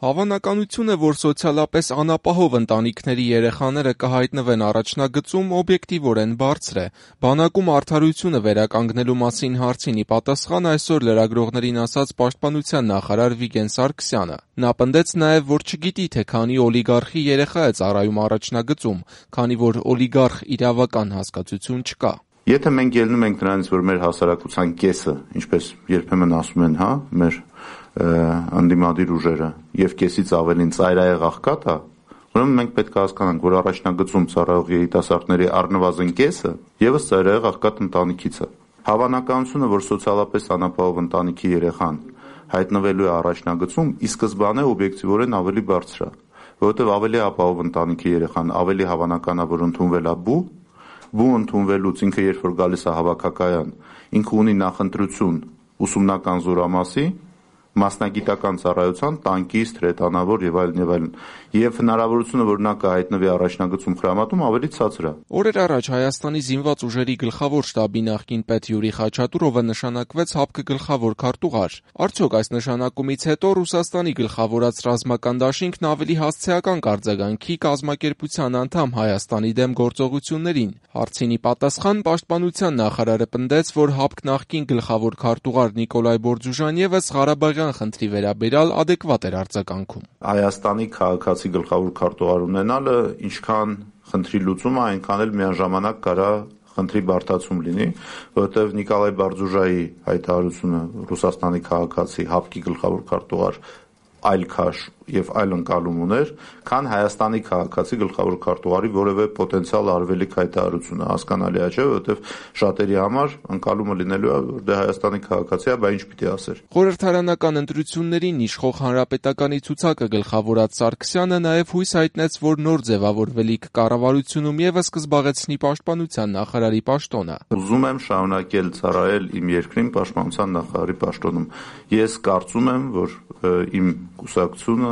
Հավանականությունը, որ սոցիալապես անապահով ընտանիքների երեխաները կհայտնվեն առաջնագծում, օբյեկտիվորեն բարձր է։ Բանակում արդարությունը վերականգնելու մասին հարցին ի պատասխան այսօր լրագրողներին ասաց Պաշտպանության նախարար Վիգեն Սարգսյանը։ Նա պնդեց նաև, որ չգիտի, թե քանի օլիգարխի երեխա է ծառայում առաջնագծում, քանի որ օլիգարխ իրավական հասկացություն չկա։ Եթե մենք ելնում ենք նրանից, որ մեր հասարակության կեսը, ինչպես երբեմն ասում են, մեր անդիմադիր ուժերը եւ կեսից ավելին ծայրահեղ աղքատ է, ուրեմն մենք պետք է հասկանանք, որ առաջնագծում ծառայող երիտասարդների առնվազն կեսը եւս ծայրահեղ աղքատ ընտանիքից է։ Հավանականությունը, որ սոցիալապես անապահով ընտանիքի երեխան հայտնվելու է առաջնագծում, ի սկզբանե օբյեկտիվորեն ավելի բարձր է, որովհետեւ ավելի ապահով ընտանիքի երեխան ավելի հավանական է, որ ընդունվել է բու ընդունվելուց ինքը երբ որ գալիս է հավաքակայան, ինքը ունի նախընտրություն ուսումնական զորամասի, մասնագիտական ծառայության, տանկիստ, հրետանավոր եւ այլն, եւ հնարավորությունը, որ նա կհայտնվի առաջնագծում խրամատում, ավելի ցածր է։ Օրեր առաջ Հայաստանի զինված ուժերի գլխավոր շտաբի նախկին պետ Յուրի Խաչատուրովը նշանակվեց ՀԱՊԿ գլխավոր քարտուղար։ Արդյոք այս նշանակումից հետո Ռուսաստանի գլխավորած ռազմական դաշինքն ավելի հասցեական կարձագանքի կազմակերպության անդամ Հայաստանի դեմ գործողություններին։ Հարցին ի պատասխան Պաշտպանության նախարարը պնդեց, որ ՀԱՊԿ նախկին գլխավոր քարտուղար Նիկոլայ Բորդզուժան եւս Ղարաբաղյան խնդրի վերաբերյալ adekvat էր արձագանքում։ Հայաստանի քաղաքացի գլխավոր քարտուղար ունենալը ինչքան խնդրի լուծումը, այնքան էլ միաժամանակ կարա խնդրի բարդացում լինի, որովհետև Նիկոլայ Բորդզուժայի հայտարարությունը Ռուսաստանի քաղաքացի ՀԱՊԿ-ի գլխավոր քարտուղար այլ քաշ եւ այլ ընկալում ուներ, քան Հայաստանի քաղաքացի գլխավոր քարտուղարի որևէ պոտենցիալ արվելիք հայտարարությունը, հասկանալի է, չէ՞, որովհետեւ շատերի համար ընկալումը լինելու է, որ դե Հայաստանի քաղաքացի է, բա ինչ պիտի ասեր։ Խորհրդարանական ընտրություններին իշխող Հանրապետականի ցուցակը գլխավորած Սարգսյանը նաև հույս հայտնեց, որ նոր ձևավորվելիք կառավարությունում եւս կզբաղեցնի Պաշտպանության նախարարի պաշտոնը։ Ուզում եմ շարունակել ծառայել իմ երկրին Պաշտպանության նախարարի պաշտոնում։ Ես կարծում եմ, որ իմ կուսակցությունը,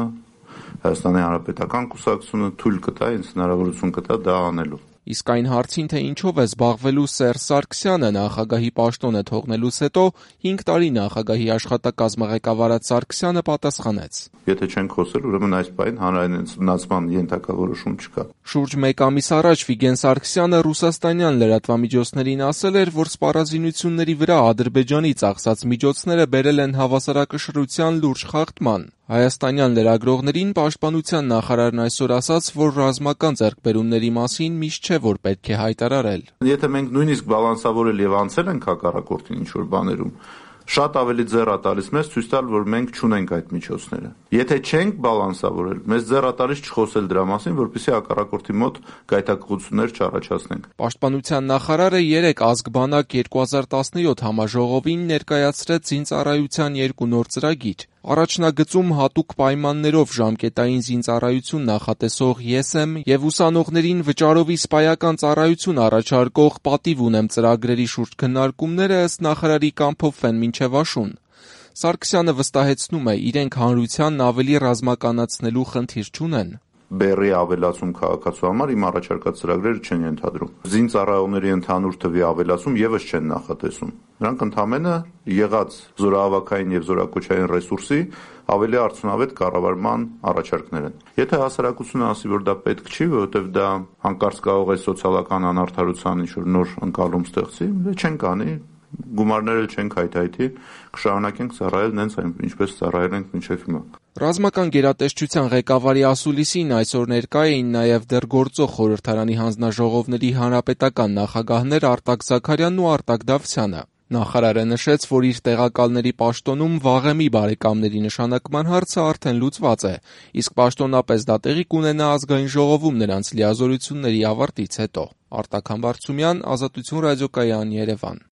Հայաստանի Հանրապետական կուսակցությունը թույլ կտա, ինձ հնարավորություն կտա դա անելու։ Իսկ այն հարցին, թե ինչով է զբաղվելու Սերժ Սարգսյանը նախագահի պաշտոնը թողնելուց հետո 5 տարի նախագահի աշխատակազմը ղեկավարած Սարգսյանը պատասխանեց. Եթե չենք խոսել, ուրեմն այս պահին հանրայնացման ենթակա որոշում չկա։ Շուրջ 1 ամիս առաջ Վիգեն Սարգսյանը ռուսաստանյան լրատվամիջոցներին ասել էր, որ սպառազինությունների վրա Ադրբեջանի ծախսած միջոցները բերել են հավասարակշռության լուրջ խախտման։ Հայաստանյան լրագրողներին Պաշտպանության նախարարն այսօր ասաց, որ ռազմական ձեռքբերումների մասին միշտ չէ, որ պետք է հայտարարել։ Եթե մենք նույնիսկ բալանսավորել եւ անցել ենք հակառակորդին ինչ-որ բաներում, շատ ավելի ձեռ է տալիս մեզ ցույց տալ, որ մենք չունենք այդ միջոցները։ Եթե չենք բալանսավորել, մեզ ձեռ է տալիս չխոսել դրա մասին, որպեսզի հակառակորդի մոտ գայթակղություններ չառաջացնենք։ Պաշտպանության նախարարը 3 ազգբանակ 2017 համաժողովին ներկայացրեց զինծառայության 2 նոր ծրագիր։ Առաջնագծում հատուկ պայմաններով ժամկետային զինծառայություն նախատեսող «Ես եմ» եւ ուսանողներին վճարովի սպայական ծառայություն առաջարկող «Պատիվ ունեմ» ծրագրերի շուրջ քննարկումները ըստ նախարարի կամփոփվեն մինչեւ աշուն։ Սարգսյանը վստահեցնում է, իրենք հանրությանն ավելի ռազմականացնելու խնդիր չունեն։ Բեռի ավելացում քաղաքացու համար իմ առաջարկած ծրագրերը չեն ենթադրում։ Զինծառայողների ընդհանուր թվի ավելացում եւս չեն նախատեսում։ Նրանք ընդհանրապես եղած զորահավաքային եւ զորակոչային ռեսուրսի ավելի արդյունավետ կառավարման առաջարկներ են։ Եթե հասարակությունը ասի, որ դա պետք չի, որովհետեւ դա հանկարծ կարող է սոցիալական անարդարության ինչ-որ նոր ընկալում ստեղծի, չենք անի, գումարները չենք հայթայթի, կշարունակենք ծառայել նենց ինչպես ծառայել ենք մինչև հիմա։ Ռազմական գերատեսչության ղեկավարի ասուլիսին այսօր ներկա էին նաև դեռ գործող խորհրդարանի հանձնաժողովների հանրապետական նախագահներ Արտակ Զաքարյանն ու Արտակ Դավթյանը։ Նախարարը նշեց, որ իր տեղակալների պաշտոնում Վաղեմի բարեկամների նշանակման հարցը արդեն լուծված է, իսկ պաշտոնապես դա տեղի կունենա ազգային ժողովում նրանց լիազորությունների ավարտից հետո։ Արտակ Համբարձումյան, Ազատություն ռադիոկայան, Երևան։